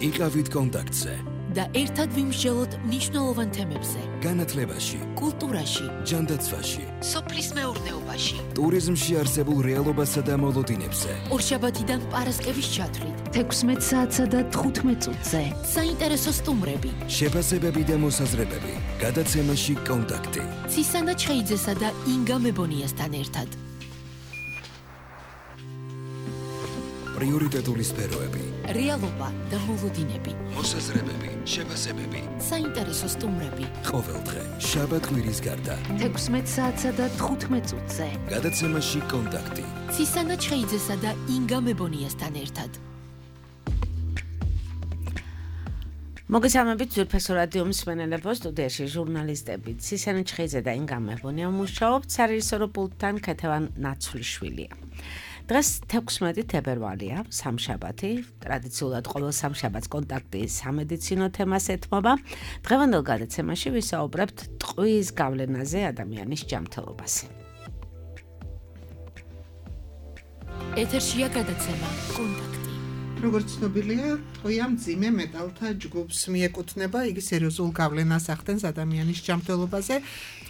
იყავით კონტაქტზე და ერთად ვიმსჯელოთ მნიშვნელოვან თემებზე. განათლებაში, კულტურაში, ჯანდაცვაში, სოფლის მეურნეობაში, ტურიზმში არსებულ რეალობასა და მოლოდინებზე. ორშაბათიდან პარასკევის ჩათვლით, 16 საათსა და 15 წუთზე. საინტერესო სტუმრები, შეფასებები და მოსაზრებები. გადაცემაში კონტაქტი. ცისანა ჩხეიძესა და ინგა მებონიასთან ერთად. პრიორიტეტული სფეროები. რეალობა და მოლოდინები, მოსაზრებები, შეფასებები. საინტერესო სტუმრები. ყოველდღე, შაბათ-კვირის გარდა. 16 საათსა და 15 წუთზე. გადაცემაში კონტაქტი. ცისანა ჩხეიძესა და ინგა მებონიასთან ერთად. მოგესალმებით ძვირფასო რადიო მსმენელებო, სტუდიაში ჟურნალისტები ცისანა ჩხეიძე და ინგა მებონია მუშაობთ, სარეჟისორო პულტთან ქეთევან ნაცვლიშვილია. დღეს 16 თებერვალია, სამშაბათი, ტრადიციულად ყოველ სამშაბათს კონტაქტი სამედიცინო თემას ეთმობა. დღევანდელ გადაცემაში ვისაუბრებთ ტყვის გავლენაზე ადამიანის ჯანმრთელობაზე. ეთერშია გადაცემა კონტაქტი. როგორც ცნობილია, ტყვია მძიმე მეტალთა ჯგუფს მიეკუთვნება, იგი სერიოზულ გავლენას ახდენს ადამიანის ჯანმრთელობაზე.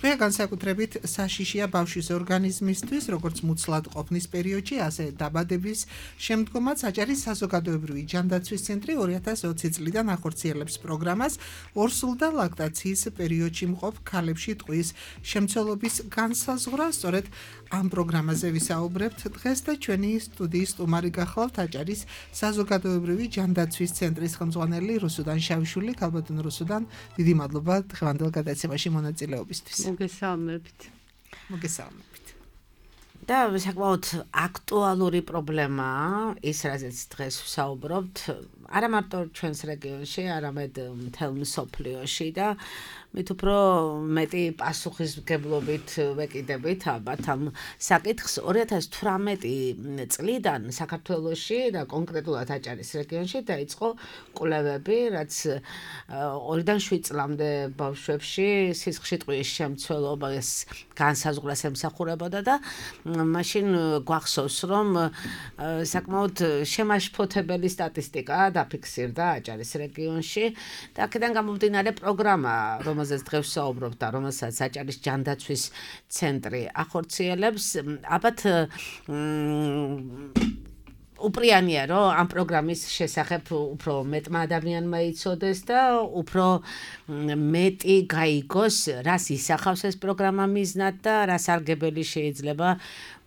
ტყვია განსაკუთრებით საშიშია ბავშვის ორგანიზმისთვის, როგორც მუცლად ყოფნის პერიოდში, ასე დაბადების შემდგომაც. აჭარის საზოგადოებრივი ჯანდაცვის ცენტრი 2020 წლიდან ახორციელებს პროგრამას ორსულ და ლაქტაციის პერიოდში მყოფ ქალებში ტყვის შემცველობის განსაზღვრა. სწორედ ამ პროგრამაზე ვისაუბრებთ დღეს და ჩვენი სტუდიის სტუმარი გახლავთ აჭარის საზოგადოებრივი ჯანდაცვის ცენტრის ხელმძღვანელი რუსუდან შავიშვილი. ქალბატონ რუსუდან, დიდი მადლობა დღევანდელ გადაცემაში მონაწილეობისთვის. მოგესალმებით. და საკმაოდ აქტუალური პრობლემაა ის, რაზეც დღეს ვსაუბრობთ, არა მარტო ჩვენს რეგიონში, არამედ მთელ მსოფლიოში და მით უფრო მეტი პასუხისმგებლობით ვეკიდებით ალბათ ამ საკითხს. 2018 წლიდან საქართველოში და კონკრეტულად აჭარის რეგიონში დაიწყო კვლევები, რაც 2-დან 7 წლამდე ბავშვებში სისხლში ტყვის შემცველობას განსაზღვრას ემსახურებოდა და მაშინ გვახსოვს, რომ საკმაოდ შემაშფოთებელი სტატისტიკა დაფიქსირდა აჭარის რეგიონში და აქედან გამომდინარე პროგრამა, რომელზეც დღეს ვსაუბრობთ და რომელსაც აჭარის ჯანდაცვის ცენტრი ახორციელებს, ალბათ უპრიანია, რომ ამ პროგრამის შესახებ უფრო მეტმა ადამიანმა იცოდეს და უფრო მეტი გაიგოს, რას ისახავს ეს პროგრამა მიზნად და რა სარგებელი შეიძლება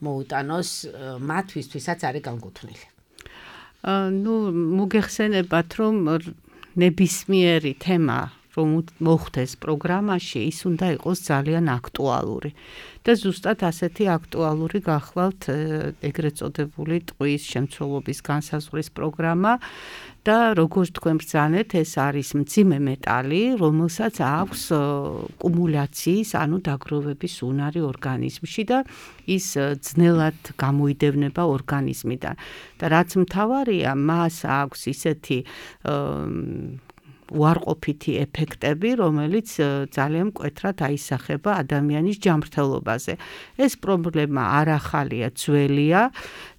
მოუტანოს მათთვის, ვისაც არის განკუთვნილი. მოგეხსენებათ, რომ ნებისმიერი თემა რომ მოხდეს პროგრამაში, ის უნდა იყოს ძალიან აქტუალური. და ზუსტად ასეთი აქტუალური გახლავთ ეგრეთ წოდებული ტყვის შემცველობის განსაზღვრის პროგრამა და როგორც თქვენ ბრძანეთ, ეს არის მძიმე მეტალი, რომელსაც აქვს კუმულაციის, ანუ დაგროვების უნარი ორგანიზმში და ის ძნელად გამოიდევნება ორგანიზმიდან. და რაც მთავარია, მას აქვს ისეთი უარყოფითი ეფექტები, რომელიც ძალიან მკვეთრად აისახება ადამიანის ჯანმრთელობაზე. ეს პრობლემა არ ახალია, ძველია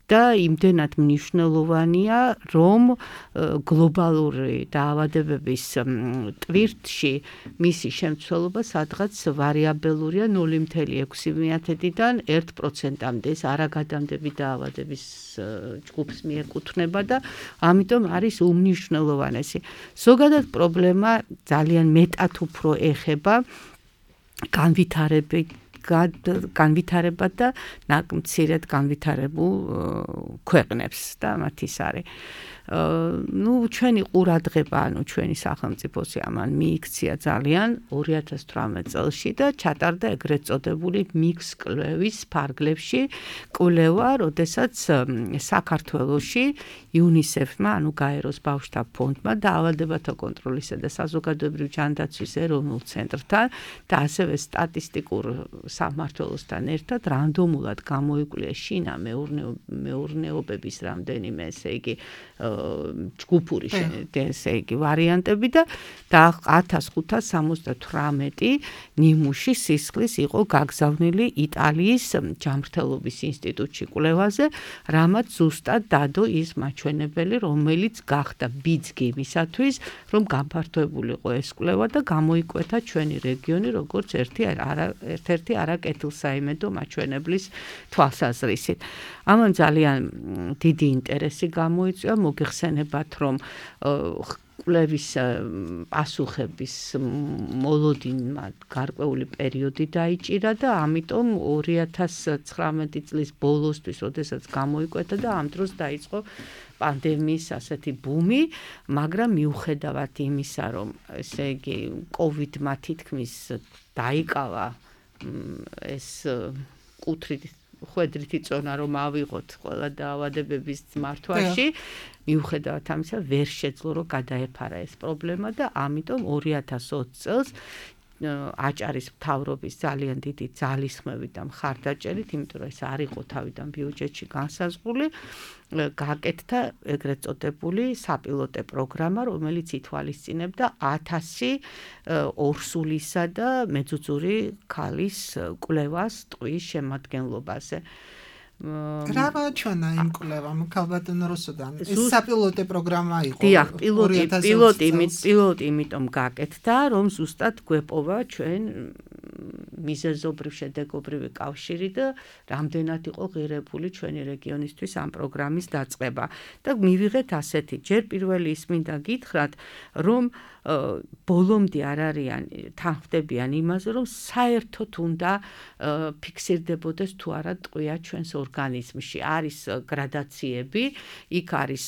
და იმდენად მნიშვნელოვანია, რომ გლობალური დაავადებების ტვირთში მისი შემცველობა სადღაც ვარიაბელურია 0.6%-დან 1%-მდე. ეს არაგადამდები დაავადების ჯგუფს მიეკუთვნება და ამიტომ არის უმნიშვნელოვანესი. ზოგადად პრობლემა ძალიან მეტად უფრო ეხება განვითარებად და მცირედ განვითარებულ ქვეყნებს და მათ ის არის. ჩვენი ყურადღება, ჩვენი სახელმწიფოსი ამან მიიქცია ძალიან 2018 წელში და ჩატარდა ეგრეთ წოდებული მიქს კვლევის ფარგლებში კვლევა, როდესაც საქართველოში UNICEF-მა, ანუ გაეროს ბავშვთა ფონდმა დაავადებათა კონტროლისა და საზოგადოებრივი ჯანდაცვის ეროვნულ ცენტრთან და ასევე სტატისტიკურ სამმართველოსთან ერთად რანდომულად გამოიკვლიეს შინა მეურნეობების რამდენიმე, ესე იგი, ჯგუფური ესე იგი ვარიანტები და 1578 ნიმუში სისხლის იყო გაგზავნილი იტალიის ჯანმრთელობის ინსტიტუტში კვლევაზე, რამაც ზუსტად დადო ის მაჩვენებელი, რომელიც გახდა ბიძგი იმისათვის, რომ განფართოებულიყო ეს კვლევა და გამოიკვეთა ჩვენი რეგიონი როგორც ერთ-ერთი არაკეთილსაიმედო მაჩვენებლის თვალსაზრისით. ამან ძალიან დიდი ინტერესი გამოიწვია, მოგეხსენებათ, რომ კვლევის პასუხების მოლოდინმა გარკვეული პერიოდი დაიჭირა და ამიტომ 2019 წლის ბოლოსთვის, როდესაც გამოიკვეთა და ამ დროს დაიწყო პანდემიის ასეთი ბუმი, მაგრამ მიუხედავად იმისა, რომ ესე იგი COVID-მა თითქმის დაიკავა ეს ხვედრითი წონა, რომ ავიღოთ ყველა დაავადებების მართვაში, მიუხედავად ამისა, ვერ შეძლო, რომ გადაეფარა ეს პრობლემა და ამიტომ 2020 წელს აჭარის მთავრობის ძალიან დიდი ძალისხმევით და მხარდაჭერით, იმიტომ რომ ეს არ იყო თავიდან ბიუჯეტში განსაზღვრული, გააკეთდა ეგრეთ წოდებული საპილოტე პროგრამა, რომელიც ითვალისწინებდა 1000 ორსულისა და მეძუძური ქალის კვლევას ტყვის შემადგენლობაზე. რა მოაჩვენა იმ კვლევამ ქალბატონო რუსუდან? ეს საპილოტე პროგრამა იყო. დიახ, პილოტი იმიტომ გააკეთდა, რომ ზუსტად გვეპოვა ჩვენ მიზეზობრივ შედეგობრივი კავშირი და რამდენად იყო ღირებული ჩვენი რეგიონისთვის ამ პროგრამის დაწყება. და მივიღეთ ასეთი, ჯერ პირველი ის მინდა გითხრათ, რომ ბოლომდე არ არიან თანხმდებიან იმაზე, რომ საერთოდ უნდა ფიქსირდებოდეს თუ არა ტყვია ჩვენს ორგანიზმში. არის გრადაციები, იქ არის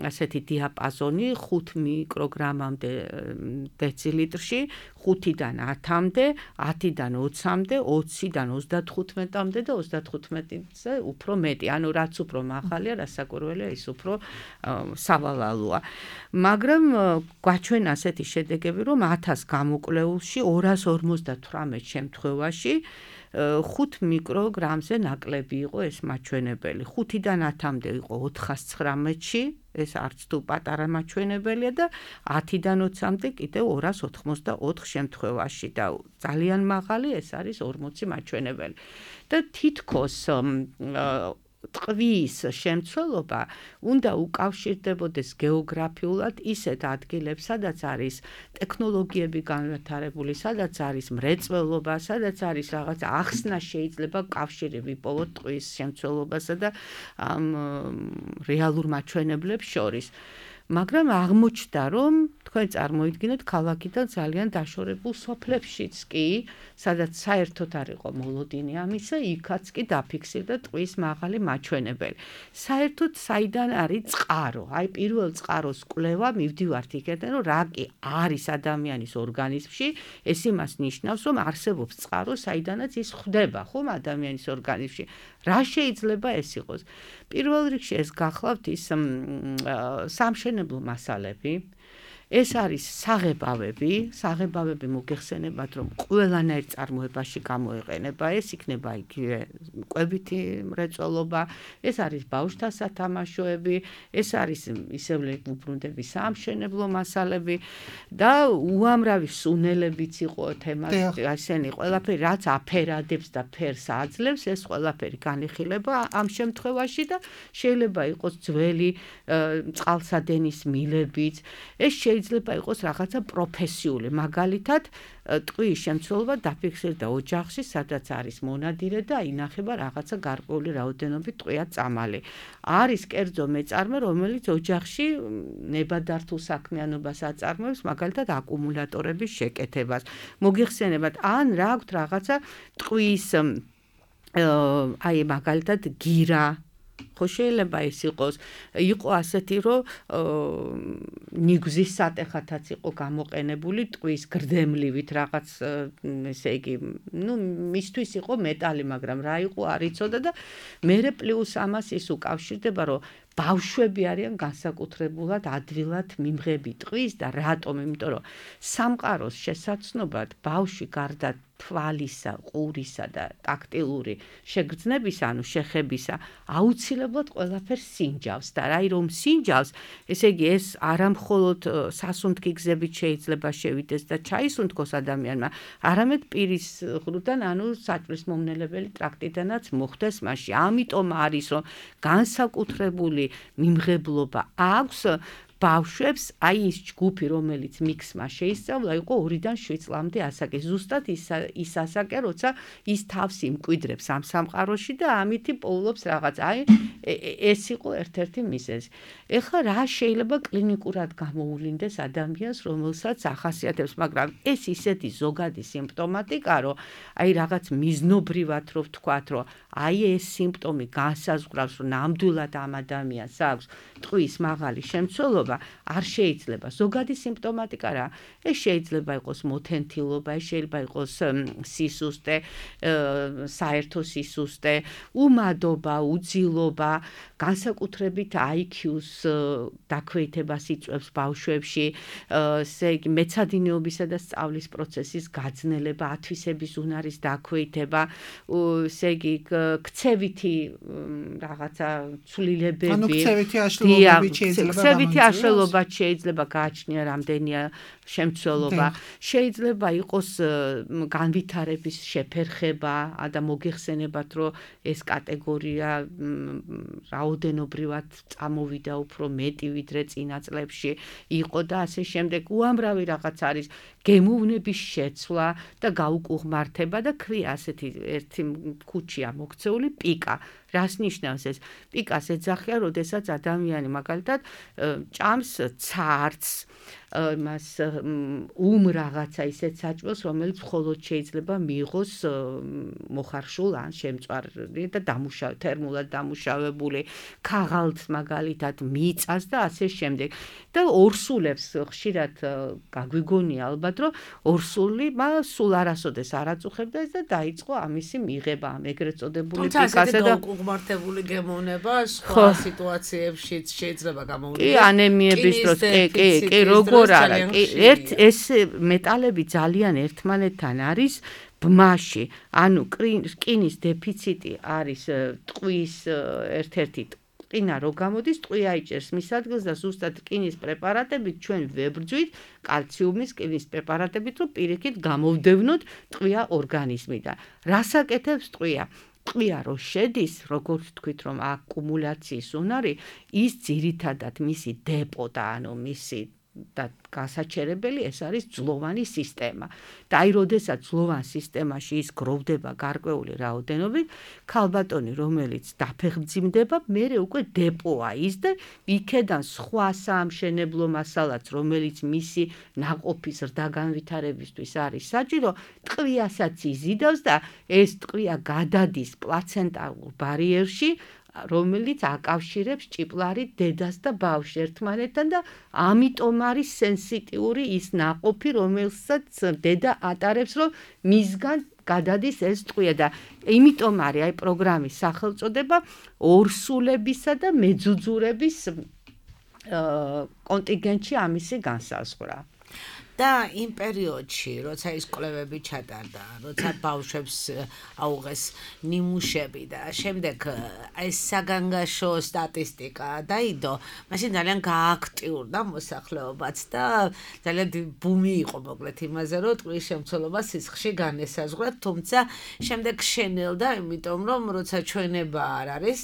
ასეთი დიაპაზონი 5 მიკროგრამამდე დეცილიტრში, 5-დან 10-მდე, 10-დან 20-მდე, 20-დან 35-მდე და 35-ზე უფრო მეტი. ანუ რაც უფრო მაღალია, რასაკვირველია, ის უფრო სავალალოა. მაგრამ გვაჩვენა ასეთი შედეგები, რომ 1000 გამოკვლეულში 258 შემთხვევაში 5 მიკროგრამზე ნაკლები იყო ეს მაჩვენებელი. 5-დან 10-მდე იყო 419-ში, ეს არც თუ პატარა მაჩვენებელია და 10-დან 20-მდე კიდევ 284 შემთხვევაში და ძალიან მაღალი ეს არის 40 მაჩვენებელი. და თითქოს ტყვის შემცველობა უნდა უკავშირდებოდეს გეოგრაფიულად ისეთ ადგილებს, სადაც არის ტექნოლოგიები განვითარებული, სადაც არის მრეწველობა, სადაც არის რაღაც ახსნა შეიძლება კავშირი ვიპოვოთ ტყვის შემცველობასა და ამ რეალურ მაჩვენებლებს შორის. მაგრამ აღმოჩნდა, რომ თქვენ წარმოიდგინეთ ქალაქიდან ძალიან დაშორებულ სოფლებშიც კი, სადაც საერთოდ არ იყო მოლოდინი ამისა, იქაც კი დაფიქსირდა ტყვის მაღალი მაჩვენებელი. საერთოდ საიდან არის წყარო? აი პირველ წყაროს კვლევა მივდივართ იქიდან, რომ რა კი არის ადამიანის ორგანიზმში, ეს იმას ნიშნავს, რომ არსებობს წყარო, საიდანაც ის ხვდება, ხომ ადამიანის ორგანიზმში. რა შეიძლება ეს იყოს? პირველ რიგში ეს გახლავთ ის სამშენებლო მასალები. ეს არის საღებავები მოგეხსენებათ, რომ ყველანაირ წარმოებაში გამოიყენება, ეს იქნება იგივე კვებითი მრეწველობა, ეს არის ბავშვთა სათამაშოები, ეს არის ისევ უბრუნდები სამშენებლო მასალები და უამრავი სუნელებიც იყო თემას, ასენი ყველაფერი, რაც აფერადებს და ფერს აძლევს, ეს ყველაფერი განიხილება ამ შემთხვევაში და შეიძლება იყოს ძველი წყალსადენის მილებიც, ეს შეიძლება იყოს რაღაცა პროფესიული, მაგალითად ტყვის შემცველობა დაფიქსირდა ოჯახში, სადაც არის მონადირე და ინახება რაღაცა გარკვეული რაოდენობით ტყვია წამალი. არის კერძო მეწარმე, რომელიც ოჯახში ნებადართულ საქმიანობას აწარმოებს, მაგალითად აკუმულატორების შეკეთებას. მოგიხსენებათ, ან რა აქვთ რაღაცა ტყვის აი მაგალითად გირა ხო შეიძლება ის იყო ასეთი, რომ ნიგზის სატეხათაც იყო გამოყენებული ტყვის გრდემლივით რაღაც, ესე იგი, მისთვის იყო მეტალი, მაგრამ რა იყო არ იცოდა და მერე პლუს ამას ის უკავშირდება, რომ ბავშვები არიან განსაკუთრებულად ადვილად მიმღები ტყვის და რატომ? იმიტომ რომ სამყაროს შესაცნობად ბავშვი გარდა თვალისა, ყურისა და ტაქტილური შეგრძნებისა, ანუ შეხებისა, აუცილებლად ყველაფერს სინჯავს და რაი რომ სინჯავს, ესე იგი ეს არა მხოლოდ სასუნთქი გზებით შეიძლება შევიდეს და ჩაისუნთქოს ადამიანმა, არამედ პირის ღრუდან, ანუ საჭმლის მომნელებელი ტრაქტიდანაც მოხდეს მასში. ამიტომ არის რომ განსაკუთრებული მიმღებლობა აქვს ბავშვებს, აი ის ჯგუფი, რომელიც მიქსმა შეისწავლა, იყო 2-დან 7 წლამდე ასაკი. ზუსტად ის ასაკი, როცა ის თავს იმკვიდრებს ამ სამყაროში და ამითი პოულობს რაღაც. აი ეს იყო ერთ-ერთი მიზეზი. ეხლა რა შეიძლება კლინიკურად გამოუვლინდეს ადამიანს, რომელსაც ახასიათებს, მაგრამ ეს ისეთი ზოგადი სიმპტომატიკა, რომ აი რაღაც მიზნობრივად რო ვთქვათ, რომ აი ეს სიმპტომი განსაზღვრავს, რომ ნამდვილად ამ ადამიანს აქვს ტყვის მაღალი შემცველობა, არ შეიძლება. ზოგადი სიმპტომატიკა რა? ეს შეიძლება იყოს მოთენთილობა, ეს შეიძლება იყოს სისუსტე, საერთო სისუსტე, უმადობა, უძილობა, განსაკუთრებით IQ-ს დაქვეითებას იწვევს ბავშვებში, ესე იგი მეცადინეობისა და სწავლის პროცესის გაძნელება, ათვისების უნარის დაქვეითება, ესე იგი ქცევითი რაღაცა ცვლილებები, ანუ ქცევითი აშლილობები ქცევითი აშლილობა შეიძლება გააჩნია რამდენია შემცველობა, შეიძლება იყოს განვითარების შეფერხება და მოგეხსენებათ, რომ ეს კატეგორია რაოდენობრივად წამოვიდა უფრო მეტი ვიდრე წინა წლებში იყო და ასე შემდეგ. უამრავი რაღაც არის გემოვნების შეცვლა და გაუკუღმართება და ქვია ასეთი ერთი ქუჩია მოქცეული პიკა. რას ნიშნავს ეს? პიკას ეძახიან, როდესაც ადამიანი მაგალითად ჭამს ცარცს, მას რაღაცა ისეთ საჭმელს, რომელიც მხოლოდ შეიძლება მიიღოს მოხარშულ ან შემწვარი და თერმულად დამუშავებული, ქაღალდს მაგალითად მიწას და ასე შემდეგ. და ორსულებს ხშირად გაგვიგონია ალბათ, რომ ორსული სულ არასოდეს არ აწუხებდა ეს და დაიწყო ამისი მიღება, ამ ეგრეთ წოდებული პიკასა და უკუღმართებული გემოვნება სხვა სიტუაციებშიც შეიძლება გამოვლინდეს. კი, ანემიების დროს, კი, როგორ არა. ეს მეტალები ძალიან ერთმანეთთან არის ბმაში. ანუ რკინის დეფიციტი არის ტყვის ერთ-ერთი რკინა რო გამოდის, ტყვი აიჭერს მის ადგილს და ზუსტად რკინის პრეპარატებით ჩვენ ვებრძვით კალციუმის რკინის პრეპარატებით, რომ პირიქით გამოვდევნოთ ტყვია ორგანიზმიდან. რას აკეთებს ტყვია? ტყვია რო შედის, როგორც თქვით, რომ აკუმულაციის უნარი, ის ძირითადად მისი დეპო და ანუ მისი და გასაჩერებელი ეს არის ძლოვანი სისტემა. და აი როდესაც ძლოვან სისტემაში ის გროვდება გარკვეული რაოდენობით, ქალბატონი რომელიც დაფეხმძიმდება, მერე უკვე დეპოა ის და იქედან სხვა საამშენებლო მასალაც, რომელიც მისი ნაყოფის ზრდა განვითარებისთვის არის საჭირო, ტყვიასაც იზიდავს და ეს ტყვია გადადის პლაცენტარულ ბარიერში, რომელიც აკავშირებს ჭიპლარი დედას და ბავშვს ერთმანეთთან და ამიტომ არის სენსიტიური ის ნაყოფი, რომელსაც დედა ატარებს, რომ მისგან გადადის ეს ტყვია და იმიტომ არის აი პროგრამის სახელწოდება ორსულებისა და მეძუძურების კონტინგენტში ამისი განსაზღვრა. და იმ პერიოდში, როცა ის კვლევები ჩატარდა, როცა ბავშვებს აუღეს ნიმუშები და შემდეგ ეს საგანგაშო სტატისტიკა დაიდო, მაშინ ძალიან გააქტიურდა მოსახლეობაც და ძალიან ბუმი იყო მოკლედ იმაზე, რომ ტყვის შემცველობა სისხლში განესაზღვრა, თუმცა შემდეგ შენელდა, იმიტომ რომ როცა ჩვენება არ არის,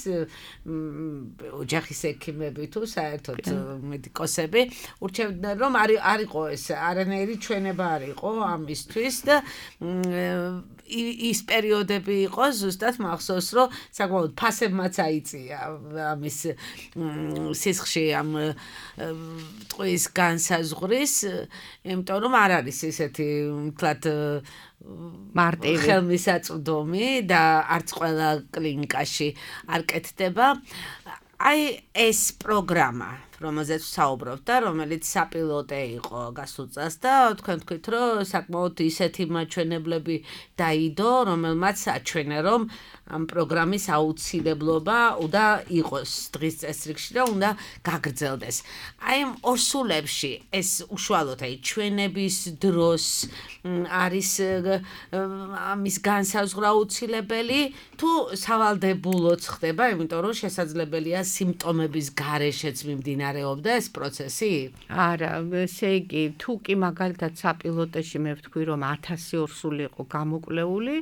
ოჯახის ექიმები თუ საერთოდ მედიკოსები ურჩევდნენ, რომ არ იყო ეს არანაირი ჩვენება არ იყო ამისთვის და ის პერიოდები იყო ზუსტად მახსოვს, რომ საკმაოდ ფასებმაც აიწია ამის სისხლში ამ ტყვის განსაზღვრის, იმიტომ რომ არ არის ესეთი მთლად მარტივი ხელმისაწვდომი და არც ყველა კლინიკაში არ კეთდება. აი ეს პროგრამა რომელზეც ვსაუბრობთ და რომელიც საპილოტე იყო გასულ წელს და თქვენ თქვით, რომ საკმაოდ ისეთი მაჩვენებლები დაიდო, რომელმაც აჩვენა, რომ ამ პროგრამის აუცილებლობა უნდა იყოს დღის წესრიგში და უნდა გაგრძელდეს. აი ამ ორსულებში ეს უშუალოდ აი ჩვენების დროს არის ამის განსაზღვრა აუცილებელი თუ სავალდებულოც ხდება, იმიტომ რომ შესაძლებელია სიმპტომების გარეშეც მიმდინარეობდა ეს პროცესი? არა, ესე იგი, თუ კი მაგალითად საპილოტეში მე ვთქვი, რომ 1000 ორსული იყო გამოკვლეული,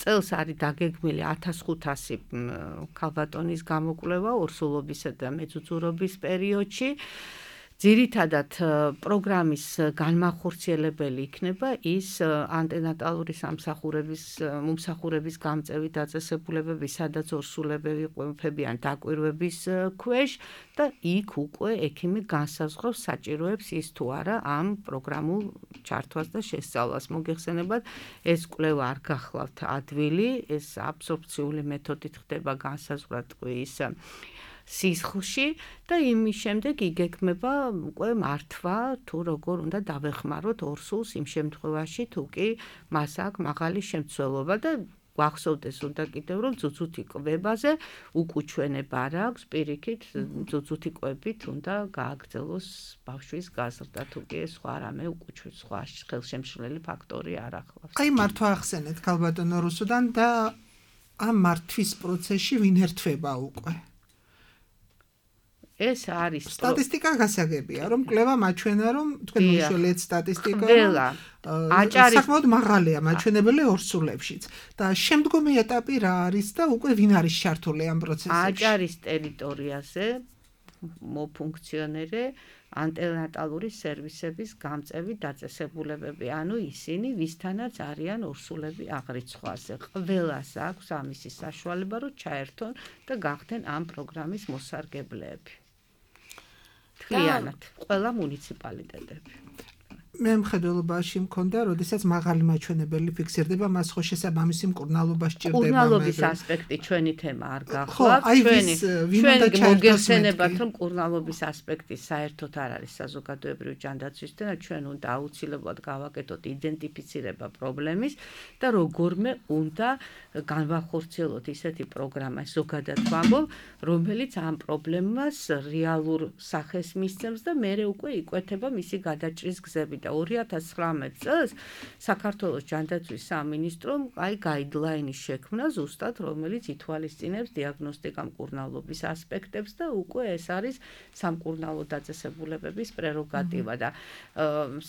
წელს არის დაგეგმილი 1500 ქალბატონის გამოკვლევა ორსულობისა და მეძუძურობის პერიოდში. ძირითადად პროგრამის განმახორციელებელი იქნება ის ანტენატალური მომსახურების გამწევი დაწესებულებები, სადაც ორსულები იყვებიან დაკვირვების ქვეშ და იქ უკვე ექიმი განსაზღვრავს საჭიროებს ის თუ არა ამ პროგრამულ ჩართვას და შესწავლას. მოგეხსენებათ, ეს კვლევა არ გახლავთ ადვილი, ეს აბსორბციული მეთოდით ხდება განსაზღვრა ტყვის სისხლში და იმის შემდეგ იგეგმება უკვე მართვა თუ როგორ უნდა დავეხმაროთ ორსულს იმ შემთხვევაში თუ კი მას აქვს მაღალი შემცველობა და გვახსოვდეს უნდა კიდევ რომ ძუძუთი კვებაზე უკუჩვენება არ აქვს პირიქით ძუძუთი კვებით უნდა გააგრძელოს ბავშვის გაზრდა თუ კი სხვა რამე უკუჩვენს სხვა ხელშემშლელი ფაქტორი არ ახლავს. აი მართვა ახსენეთ ქალბატონო რუსუდან და ამ მართვის პროცესში ვინ ერთვება უკვე? ეს არის სტატისტიკა გასაგებია, რომ კვლევა მაჩვენა, რომ თქვენ მიშველეთ სტატისტიკა, საკმაოდ მაღალია მაჩვენებელი ორსულებშიც. და შემდგომი ეტაპი რა არის და უკვე ვინ არის ჩართული ამ პროცესში? აჭარის ტერიტორიაზე მოფუნქციონერე ანტენატალური სერვისების გამწევი დაწესებულებები, ანუ ისინი ვისთანაც არიან ორსულები აღრიცხვაზე. ყველას აქვს ამისი საშუალება, რომ ჩაერთონ და გახდნენ ამ პროგრამის მოსარგებლეები. მთლიანად, ყველა მუნიციპალიტეტები. მე მხედველობაში მქონდა, როდესაც მაღალი მაჩვენებელი ფიქსირდება, მას ხო შესაბამისი მკურნალობა სჭირდება. მკურნალობის ასპექტი ჩვენი თემა არ გახლავთ. ჩვენი მოგეხსენებათ, რომ მკურნალობის ასპექტი საერთოდ არ არის საზოგადოებრივი ჯანდაცვის თემა, ჩვენ უნდა აუცილებლად გავაკეთოთ იდენტიფიცირება პრობლემის და როგორმე უნდა განვახორციელოთ ისეთი პროგრამა, ზოგადად ვამბობ, რომელიც ამ პრობლემას რეალურ სახეს მისცემს და მერე უკვე იკვეთება მისი გადაჭრის გზები. 2019 წელს საქართველოს ჯანდაცვის სამინისტრომ აი გაიდლაინის შექმნა ზუსტად, რომელიც ითვალისწინებს დიაგნოსტიკა მკურნალობის ასპექტებს და უკვე ეს არის სამკურნალო დაწესებულებების პრეროგატივა და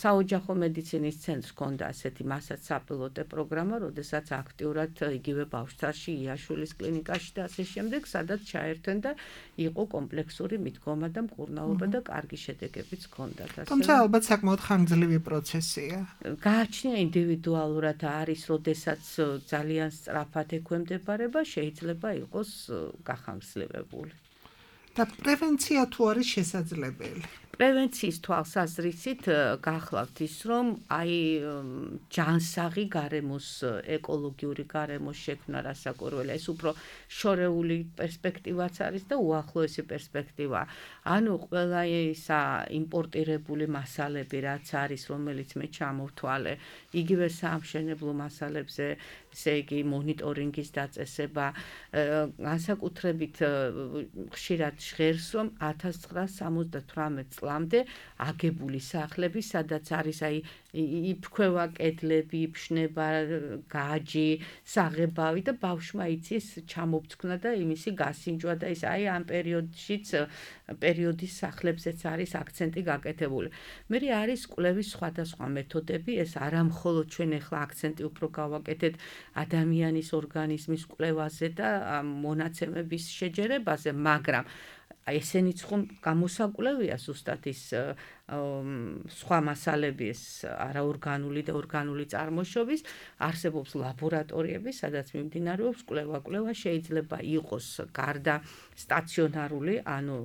საოჯახო მედიცინის ცენტრს ჰქონდა ასეთი მასაც საპილოტე პროგრამა, როდესაც აქტიურად იგივე ბავშვთაში, იაშულის კლინიკაში და ასე შემდეგ, სადაც ჩაერთვენ და იყო კომპლექსური მიდგომა და მკურნალობა და კარგი შედეგებიც ჰქონდათ. თუმცა ალბათ საკმაოდ ხანგრძლივი პროცესია. გააჩნია ინდივიდუალურად არის, როდესაც ძალიან სწრაფად ექვემდებარება, შეიძლება იყოს გახანგრძლივებული. და პრევენცია თუ არის შესაძლებელი? პრევენციის თვალსაზრისით გახლავთ ის, რომ აი ჯანსაღი გარემოს, ეკოლოგიური გარემოს შექმნა რასაკვირველია, ეს უფრო შორეული პერსპექტივაც არის და უახლოესი პერსპექტივა. ანუ ყველა ისა იმპორტირებული მასალები, რაც არის, რომელიც მე ჩამოვთვალე, იგივე საამშენებლო მასალებზე, ესე იგი მონიტორინგის დაწესება, განსაკუთრებით ხშირად ჟღერს, რომ 1978 წლამდე აგებული სახლები, სადაც არის აი იფრქვევა კედლები, იფშნება გაჯი, საღებავი და ბავშვმა იცის ჩამოფცქნა და იმისი გასინჯვა და ის აი ამ პერიოდის სახლებზეც არის აქცენტი გაკეთებული. მე არის კვლევის სხვადასხვა მეთოდები, ეს არა მხოლოდ ჩვენ ახლა აქცენტი უფრო გავაკეთეთ ადამიანის ორგანიზმის კვლევაზე და მონაცემების შეჯერებაზე, მაგრამ ესენიც ხომ გამოსაკვლევია ზუსტად ის სხვა მასალები, ეს არაორგანული და ორგანული წარმოშობის, არსებობს ლაბორატორიები, სადაც მიმდინარეობს კვლევა. კვლევა შეიძლება იყოს გარდა სტაციონარული, ანუ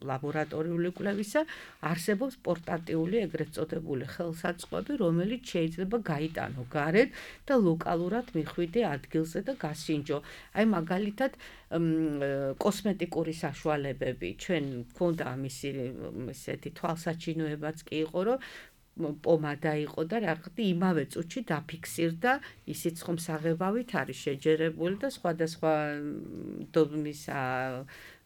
ლაბორატორიული კვლევისა, არსებობს პორტატიული ეგრეთ წოდებული ხელსაწყოები, რომელიც შეიძლება გაიტანო გარეთ და ლოკალურად მიხვიდე ადგილზე და გასინჯო. აი მაგალითად კოსმეტიკური საშუალებები, ჩვენ გქონდა ამისი ესეთი თვალსაჩინოებაც კი იყო, რომ პომადა იყო და რაღაცა იმავე წუთში დაფიქსირდა, ისიც ხომ საღებავით არის შეჯერებული და სხვადასხვა დომისა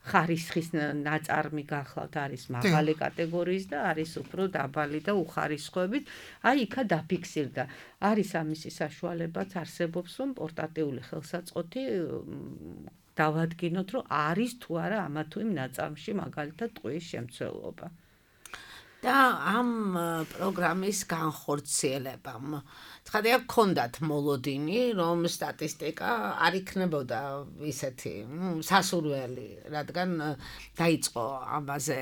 ხარისხის ნაწარმი გახლავთ არის მაღალი კატეგორიის და არის უფრო დაბალი და უხარისხოებით, აი იქა დაფიქსირდა. არის ამისი საშუალებაც არსებობს, რომ პორტატიული ხელსაწყოთი დავადგინოთ, რომ არის თუ არა ამა თუ იმ ნაწარმში მაგალითად ტყუის შემცველობა. და ამ პროგრამის განხორციელებამ ცხადია გქონდათ მოლოდინი, რომ სტატისტიკა არ იქნებოდა ისეთი სასურველი, რადგან დაიწყო ამაზე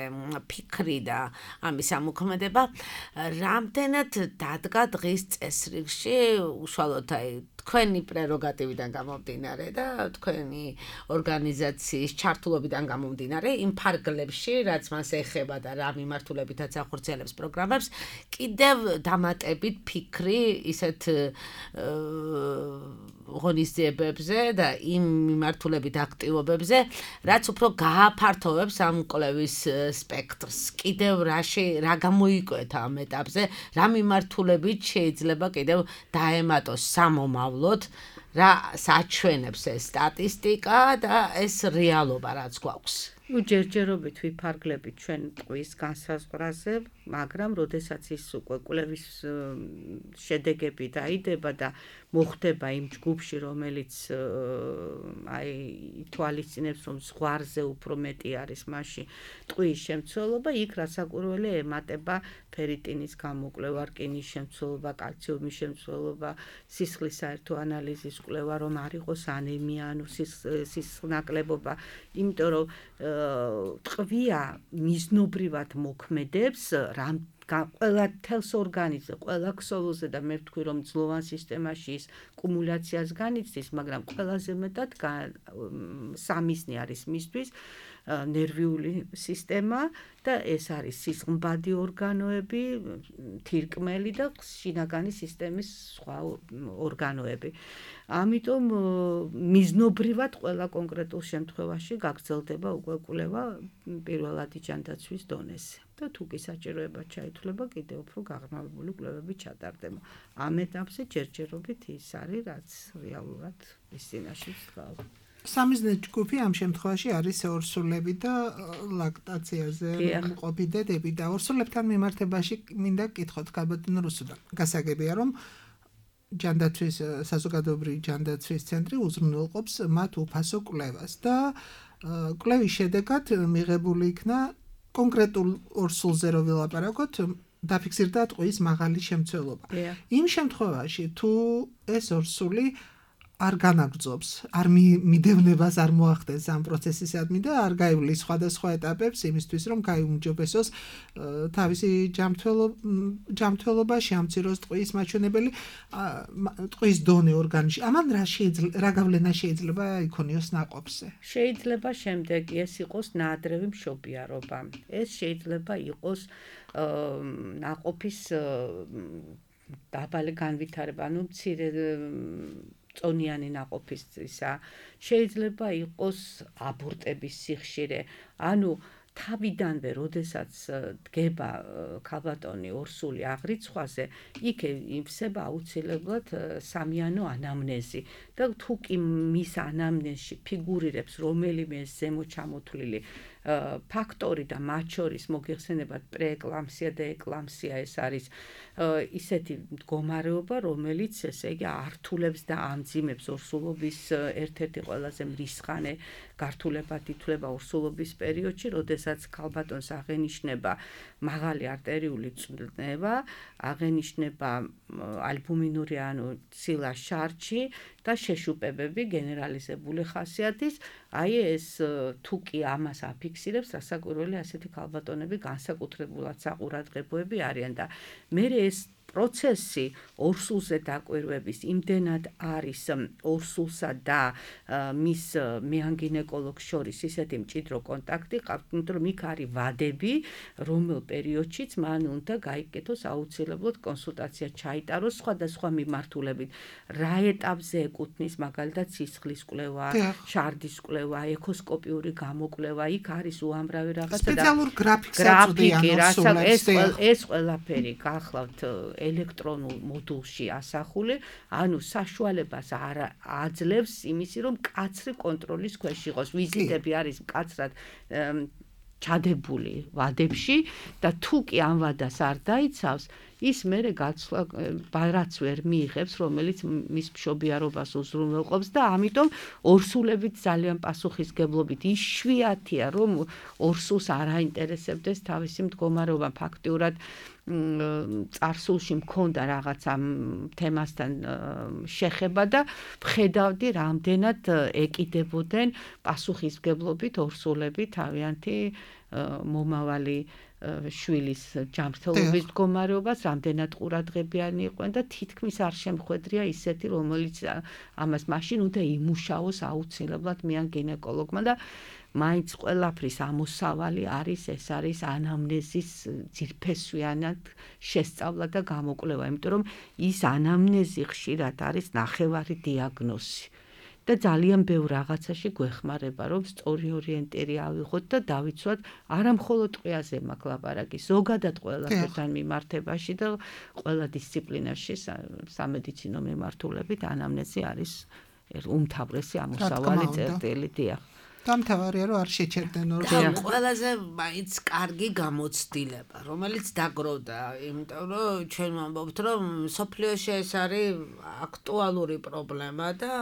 ფიქრი და ამის ამოქმედება, რამდენად დადგა დღის წესრიგში უშუალოდ აი თქვენი პრეროგატივიდან გამომდინარე და თქვენი ორგანიზაციის ჩართულობიდან გამომდინარე იმ ფარგლებში, რაც მას ეხება და რა მიმართულებითაც ახორციელებს პროგრამებს, კიდევ დამატებით ფიქრი ისეთ ღონისძიებებზე და იმ მიმართულებით აქტივობებზე, რაც უფრო გააფართოვებს ამ კვლევის სპექტრს. კიდევ რა გამოიკვეთა ამ ეტაპზე, რა მიმართულებით შეიძლება კიდევ დაემატოს სამომავლოდ, რა საჩვენებს ეს სტატისტიკა და ეს რეალობა, რაც გვაქვს. ჯერჯერობით ვიფარგლებით ჩვენ ტყვის განსაზღვრაზე, მაგრამ როდესაც ის უკვე კვლევის შედეგები დაიდება და მოხდება იმ ჯგუფში, რომელიც აი ითვალისწინებს, რომ ზღვარზე უფრო მეტი არის მასში ტყვის შემცველობა, იქ რასაკვირველი ემატება ფერიტინის გამოკვლევა, რკინის შემცველობა, კალციუმის შემცველობა, სისხლის საერთო ანალიზის კვლევა, რომ არ იყოს ანემია, ანუ სისხლნაკლებობა, იმიტომ რომ ტყვია მიზნობრივად მოქმედებს ყველა თელს ორგანიზმზე, ყველა ქსოვილზე და მე ვთქვი, რომ ძლოვან სისტემაში ის კუმულაციას განიცდის, მაგრამ ყველაზე მეტად სამიზნე არის მისთვის ნერვიული სისტემა და ეს არის სისხლმბადი ორგანოები, თირკმელი და შინაგანი სისტემის სხვა ორგანოები. ამიტომ მიზნობრივად ყველა კონკრეტულ შემთხვევაში გაგრძელდება უკვე კვლევა პირველადი ჯანდაცვის დონეზე. და თუ კი საჭიროება ჩაითვლება, კიდევ უფრო გაღრმავებული კვლევები ჩატარდება. ამ ეტაპზე ჯერჯერობით ის არის, რაც რეალურად ის წინაშე დგას. სამიზნე ჯგუფი ამ შემთხვევაში არის ორსულები და ლაქტაციაზე მყოფი დედები და ორსულებთან მიმართებაში მინდა გკითხოთ ქალბატონ რუსუდან. გასაგებია, რომ ჯანდაცვის საზოგადოებრივი ჯანდაცვის ცენტრი უზრუნველყოფს მათ უფასო კვლევას და კვლევის შედეგად მიღებული იქნა კონკრეტულ ორსულზე რო ვილაპარაკოთ, დაფიქსირდა ტყვის მაღალი შემცველობა. იმ შემთხვევაში თუ ეს ორსული არ განაგრძობს, არ მიდევნებას არ მოახდენს ამ პროცესისადმი და არ გაივლის სხვადასხვა ეტაპებს იმისთვის, რომ გაიუმჯობესოს თავისი ჯანმრთელობა, შეამციროს ტყვის მაჩვენებელი, ტყვის დონე ორგანიზმში. ამან რა გავლენა შეიძლება იქონიოს ნაყოფზე? შეიძლება შემდეგი ეს იყოს ნაადრევი მშობიარობა. ეს შეიძლება იყოს ნაყოფის დაბალი განვითარება, ანუ მცირე წონიანი ნაყოფის ისა, შეიძლება იყოს აბორტების სიხშირე, ანუ თავიდანვე, როდესაც დგება ქალბატონი ორსული აღრიცხვაზე, იქ ივსება აუცილებლად სამიანო ანამნეზი და თუ კი მის ანამნეზში ფიგურირებს რომელიმე ზემო ჩამოთვლილი ფაქტორი და მათ შორის მოგეხსენებათ პრეეკლამსია და ეკლამსია, ეს არის ისეთი მდგომარეობა, რომელიც ესე იგი ართულებს და ამძიმებს ორსულობის ერთ-ერთი ყველაზე მრისხანე გართულებად ითვლება ორსულობის პერიოდში, როდესაც ქალბატონს აღენიშნება მაღალი არტერიული წნევა, აღენიშნება ალბუმინური ანუ ცილა შარჩი და შეშუპებები გენერალიზებული ხასიათის. აი ეს თუ კი ამას აფიქსირებს, რასაკვირველი ასეთი ქალბატონები განსაკუთრებულად საყურადღებოები არიან და მე ეს პროცესი ორსულზე დაკვირვების იმდენად არის ორსულსა და მის მეანგინეკოლოგს შორის ისეთი მჭიდრო კონტაქტი ყავთ, იმიტომ რომ იქ არის ვადები, რომელ პერიოდშიც მან უნდა გაიკეთოს აუცილებლად კონსულტაცია ჩაიტაროს სხვადასხვა მიმართულებით. რა ეტაპზე ეკუთვნის მაგალითად სისხლის კვლევა, შარდის კვლევა, ეკოსკოპიური გამოკვლევა, იქ არის უამრავი რაღაცა და სპეციალურ გრაფიკს ეს ყველაფერი გახლავთ ელექტრონულ მოდულში ასახული, ანუ საშუალებას არ აძლევს იმისი, რომ კაცრი კონტროლის ქვეშ იყოს. ვიზიტები არის მკაცრად ჩადებული ვადებში და თუ კი ამ ვადას არ დაიცავს, ის მერე გაცვლა ბარაც ვერ მიიღებს, რომელიც მის მშობიარობას უზრუნველყოფს და ამიტომ ორსულებით ძალიან პასუხისგებლობით იშვიათია, რომ ორსულს არ აინტერესებდეს თავისი მდგომარეობა. ფაქტიურად წარსულში მქონდა რაღაცა თემასთან შეხება და ვხედავდი, რამდენად ეკიდებოდნენ პასუხისგებლობით ორსულები თავიანთი მომავალი შვილის ჯანმრთელობის მდგომარეობას, რამდენად ყურადღებიანი იყვნენ და თითქმის არ შემხვედრია ისეთი, რომელიც ამას მაშინ უნდა იმუშაოს აუცილებლად მიან გინეკოლოგმა და მაინც ყველაფრის ამოსავალი არის, ეს არის ანამნეზის ძირფესვიანად შესწავლა და გამოკვლევა, იმიტომ რომ ის ანამნეზი ხშირად არის ნახევარი დიაგნოზი. და ძალიან ბევრ რაღაცაში გვეხმარება, რომ სწორი ორიენტირი ავიღოთ და დავიცვათ არა მხოლოდ ტყვიაზე მაქვს ლაპარაკი, ზოგადად ყველასთან მიმართებაში და ყველა დისციპლინაში სამედიცინო მიმართულებით ანამნეზი არის უმთავრესი ამოსავალი წერტილი. დიახ. დამთავარია, რომ არ შეჩერდნენ ორგანო. ყველაზე მაინც კარგი გამოცდილება, რომელიც დაგროვდა, იმიტომ რომ ჩვენ ვამბობთ, რომ სოფლიოში ეს არის აქტუალური პრობლემა და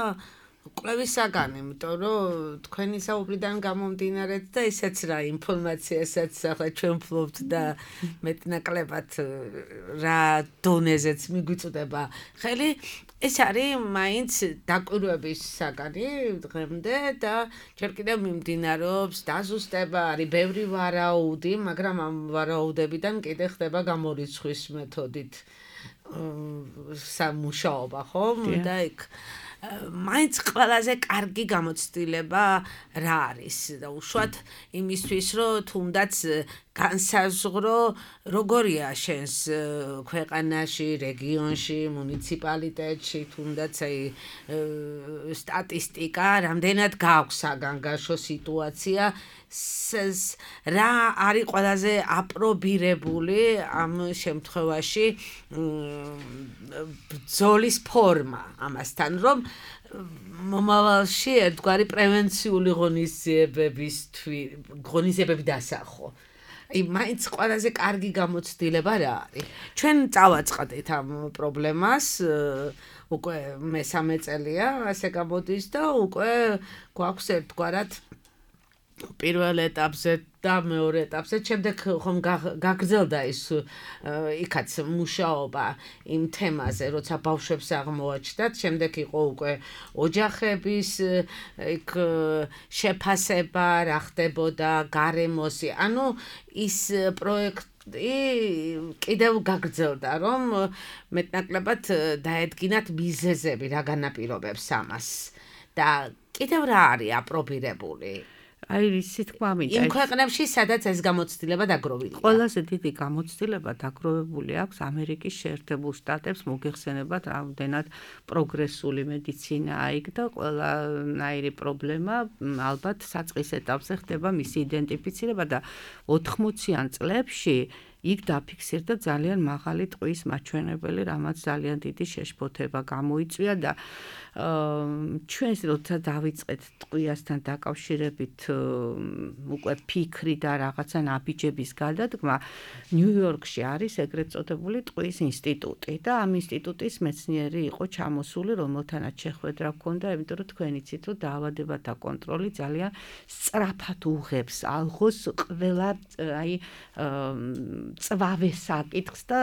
კვლევის საგანი, იმიტომ რომ თქვენი საუბრიდან გამომდინარე და ისეც რა ინფორმაციასაც ახლა ჩვენ ვფლობთ და მეტნაკლებად რა დონეზეც მიგვიწვდება ხელი, ეს არის მაინც დაკვირვების საგანი დღემდე და ჯერ კიდევ მიმდინარეობს დაზუსტება, არის ბევრი ვარაუდი, მაგრამ ამ ვარაუდებიდან კიდე ხდება გამორიცხვის მეთოდით სამუშაობა, ხომ? და იქ მაინც ყველაზე კარგი გამოცდილება რა არის და უშუალოდ იმისთვის, რომ თუნდაც განსაზღვრო როგორია შენს ქვეყანაში, რეგიონში, მუნიციპალიტეტში, თუნდაც აი სტატისტიკა, რამდენად გაქვს საგანგაშო სიტუაცია, რა არის ყველაზე აპრობირებული ამ შემთხვევაში ბრძოლის ფორმა ამასთან, რომ მომავალში ერთგვარი პრევენციული ღონისძიებები დასახო. მაინც ყველაზე კარგი გამოცდილება რა არის. ჩვენ წავაწყდით ამ პრობლემას, უკვე მესამე წელია ასე გამოდის და უკვე გვაქვს ერთგვარად პირველ ეტაპზე და მეორე ეტაპზე, შემდეგ ხომ გაგრძელდა ის იქაც მუშაობა იმ თემაზე, როცა ბავშვებს აღმოაჩნდათ, შემდეგ იყო უკვე ოჯახების იქ შეფასება, რა ხდებოდა გარემოსი, ანუ ის პროექტი კიდევ გაგრძელდა, რომ მეტნაკლებად დაედგინათ მიზეზები, რა განაპირობებს ამას და კიდევ რა არის აპრობირებული. აი ისი თქვა მინდა იმ ქვეყნებში სადაც ეს გამოცდილება დაგროვილია. ყველაზე დიდი გამოცდილება დაგროვებული აქვს ამერიკის შეერთებულ შტატებს, მოგეხსენებათ რამდენად პროგრესული მედიცინაა იქ და ყველანაირი პრობლემა ალბათ საწყის ეტაპზე ხდება მისი იდენტიფიცირება და 80-იან წლებში იქ დაფიქსირდა ძალიან მაღალი ტყვის მაჩვენებელი, რამაც ძალიან დიდი შეშფოთება გამოიწვია და ჩვენს როცა დავიწყეთ ტყვიასთან დაკავშირებით უკვე ფიქრი და რაღაცა ნაბიჯების გადადგმა, ნიუ-იორკში არის ეგრეთ წოდებული ტყვის ინსტიტუტი და ამ ინსტიტუტის მეცნიერი იყო ჩამოსული, რომელთანაც შეხვედრა ჰქონდა, იმიტომ რომ თქვენ იცით, რომ დაავადებათა კონტროლი ძალიან სწრაფად უღებს ალღოს ყველა აი წვავე საკითხს და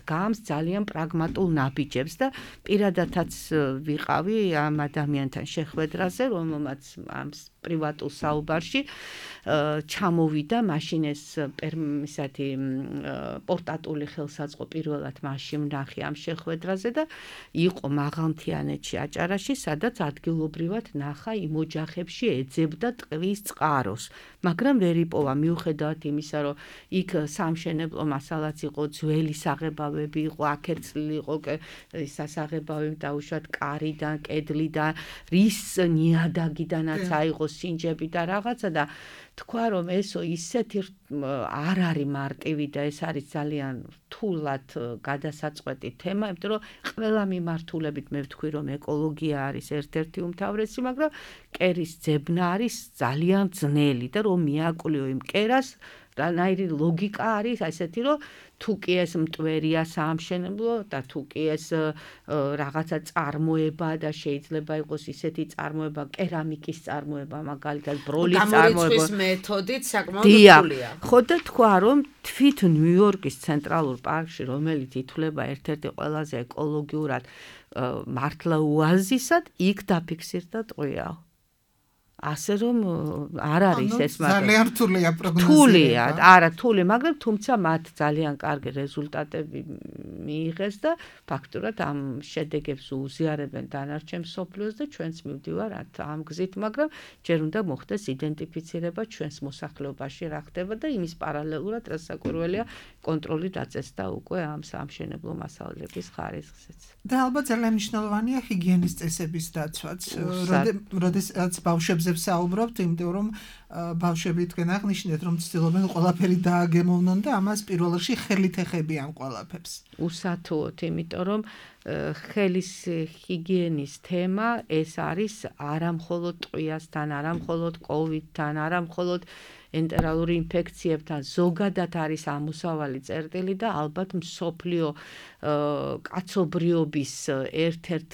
დგამს ძალიან პრაგმატულ ნაბიჯებს და პირადადაც ვიყავი ამ ადამიანთან შეხვედრაზე, რომელმაც ამ პრივატულ საუბარში ჩამოვიდა მაშინ ეს ისეთი პორტატული ხელსაწყო პირველად მაშინ ვნახე ამ შეხვედრაზე და იყო მაღალმთიანეთში აჭარაში, სადაც ადგილობრივად ნახა იმ ოჯახებში ეძებდა ტყვის წყაროს, მაგრამ ვერ იპოვა მიუხედავად იმისა, რომ იქ სამშენებლო მასალაც იყო, ძველი საღებავები იყო, აქერცლილი იყო სასაღებავები დაუშვათ კარიდან, კედლიდან, რის ნიადაგიდანაც აიღო სინჯები და რაღაცა და თქვა რომ ესო ისეთი არ არის მარტივი და ეს არის ძალიან რთულად გადასაწყვეტი თემა, იმიტომ რომ ყველა მიმართულებით მე ვთქვი რომ ეკოლოგია არის ერთ-ერთი უმთავრესი, მაგრამ კერის ძებნა არის ძალიან ძნელი და რომ მიაკვლიო იმ კერას რანაირი ლოგიკა არის ასეთი რომ თუ კი ეს მტვერია საამშენებლო და თუ კი ეს რაღაცა წარმოება და შეიძლება იყოს ისეთი წარმოება, კერამიკის წარმოება, მაგალითად ბროლის წარმოება. გამორიცხვის მეთოდით საკმაოდ რთულია. ხო და თქვა რომ თვით ნიუ-იორკის ცენტრალურ პარკში, რომელიც ითვლება ერთ-ერთი ყველაზე ეკოლოგიურად მართლა ოაზისად, იქ დაფიქსირდა ტყვია. ასე რომ არ არის ეს ძალიან რთულია პროგნოზირება. რთულია, არა რთული, მაგრამ თუმცა მათ ძალიან კარგი რეზულტატები მიიღეს და ფაქტურად ამ შედეგებს უზიარებენ დანარჩენ მსოფლიოს და ჩვენც მივდივართ ამ გზით, მაგრამ ჯერ უნდა მოხდეს იდენტიფიცირება ჩვენს მოსახლეობაში რა ხდება და იმის პარალელურად რასაკვირველია კონტროლი დაწესდა უკვე ამ სამშენებლო მასალების ხარისხზეც. და ალბათ ძალიან მნიშვნელოვანია ჰიგიენის წესების დაცვაც, როდესაც ბავშვებზე საუბრობთ, იმიტომ რომ ბავშვები თქვენ აღნიშნეთ, რომ ცდილობენ ყველაფერი დააგემოვნონ და ამას პირველ რიგში ხელით ეხებიან ყველაფერს. უსათუოდ, იმიტომ რომ ხელის ჰიგიენის თემა ეს არის არა მხოლოდ ტყვიასთან, არა მხოლოდ კოვიდთან, არა მხოლოდ ენტერალური ინფექციებთან, ზოგადად არის ამოსავალი წერტილი და ალბათ მსოფლიო კაცობრიობის ერთ-ერთ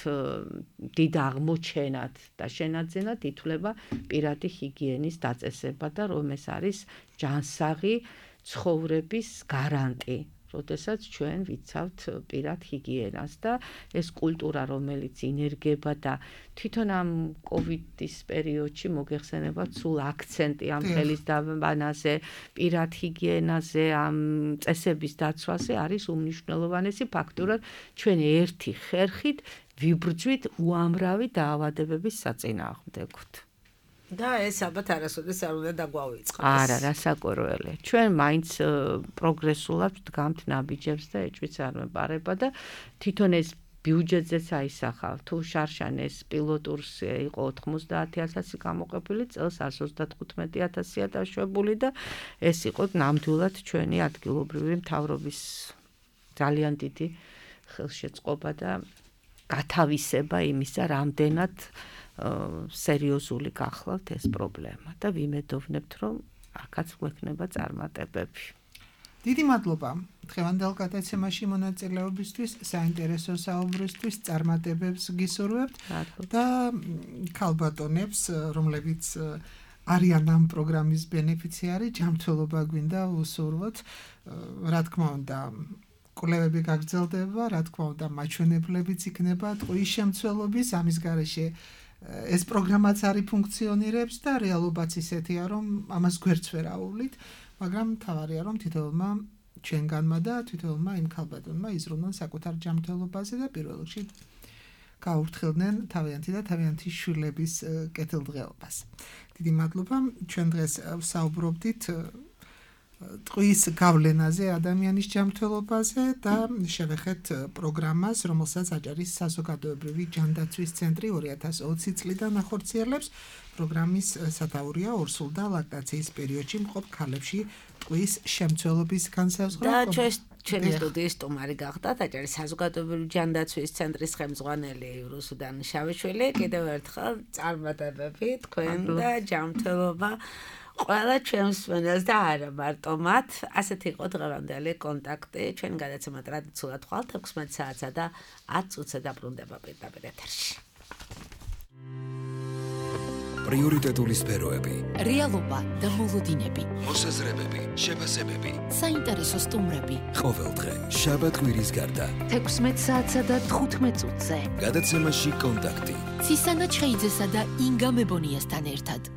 დიდ აღმოჩენად და შენაძენად ითვლება პირადი ჰიგიენის დაწესება და რომ ეს არის ჯანსაღი ცხოვრების გარანტი. როდესაც ჩვენ ვიცავთ პირად ჰიგიენას და ეს კულტურა, რომელიც ინერგება და თვითონ ამ კოვიდის პერიოდში მოგეხსენებათ სულ აქცენტი ამ ხელის დაბანაზე, პირად ჰიგიენაზე, ამ წესების დაცვაზე არის უმნიშვნელოვანესი ფაქტორად ჩვენ ერთი ხერხით ვიბრძვით უამრავი დაავადებების საწინააღმდეგოდ. და ეს ალბათ არასოდეს არ უნდა დაგვავიწყდეს. არა, რასაკვირველია. ჩვენ მაინც პროგრესულად ვდგამთ ნაბიჯებს და ეჭვიც არ მეპარება და თვითონ ეს ბიუჯეტზეც აისახავ. თუ შარშანეს პილოტურს იყო 90,000 გამოყოფილი, წელს 135,000-ია დაშვებული და ეს იყო ნამდვილად ჩვენი ადგილობრივი მთავრობის ძალიან დიდი ხელშეწყობა და გათავისება იმისა, რამდენად სერიოზული გახლავთ ეს პრობლემა და ვიმედოვნებთ, რომ აქაც გვექნება წარმატებები. დიდი მადლობა დღევანდელ გადაცემაში მონაწილეობისთვის, საინტერესო საუბრისთვის, წარმატებებს გისურვებთ და ქალბატონებს, რომლებიც არიან ამ პროგრამის ბენეფიციარი, ჯანმრთელობა გვინდა უსურვოთ, რა თქმა უნდა კვლევები გაგრძელდება, რა თქმა უნდა მაჩვენებლებიც იქნება ტყვის შემცველობის, ამის გარეშე ეს პროგრამაც არის ფუნქციონირებს და რეალობაც ისეთია, რომ ამას გვერდს ვერ აუვლით, მაგრამ თავარია, რომ თითოეულმა ჩვენგანმა და თითოეულმა იმ ქალბატონმა იზრუნონ საკუთარ ჯანმრთელობაზე და პირველ რიგში გაუფრთხილდნენ თავიანთი და თავიანთი შვილების კეთილდღეობას. დიდი მადლობა, ჩვენ დღეს საუბრობდით ტყვის გავლენაზე ადამიანის ჯანმრთელობაზე და შევეხეთ პროგრამას, რომელსაც აჭარის საზოგადოებრივი ჯანდაცვის ცენტრი 2020 წლიდან ახორციელებს. პროგრამის სათაურია ორსულ და ლაქტაციის პერიოდში მყოფ ქალებში ტყვის შემცველობის განსაზღვრა. და ჩვენი სტუდიის სტუმარი გახდათ აჭარის საზოგადოებრივი ჯანდაცვის ცენტრის ხელმძღვანელი რუსუდან შავიშვილი. კიდევ ერთხელ წარმატებები თქვენ და ჯანმრთელობა ყველა ჩვენს მსმენელს და არა მარტო მათ. ასეთი იყო დღევანდელი კონტაქტი. ჩვენ გადაცემა ტრადიციულად ხვალ 16 საათსა და 10 წუთზე დაბრუნდება პირდაპირ ეთერში. პრიორიტეტული სფეროები, რეალობა და მოლოდინები, მოსაზრებები, შეფასებები. საინტერესო სტუმრები, ყოველდღე შაბათ კვირის გარდა 16 საათსა და 15 წუთზე. გადაცემაში კონტაქტი. ცისანა ჩხეიძესა და ინგა მებონიასთან ერთად.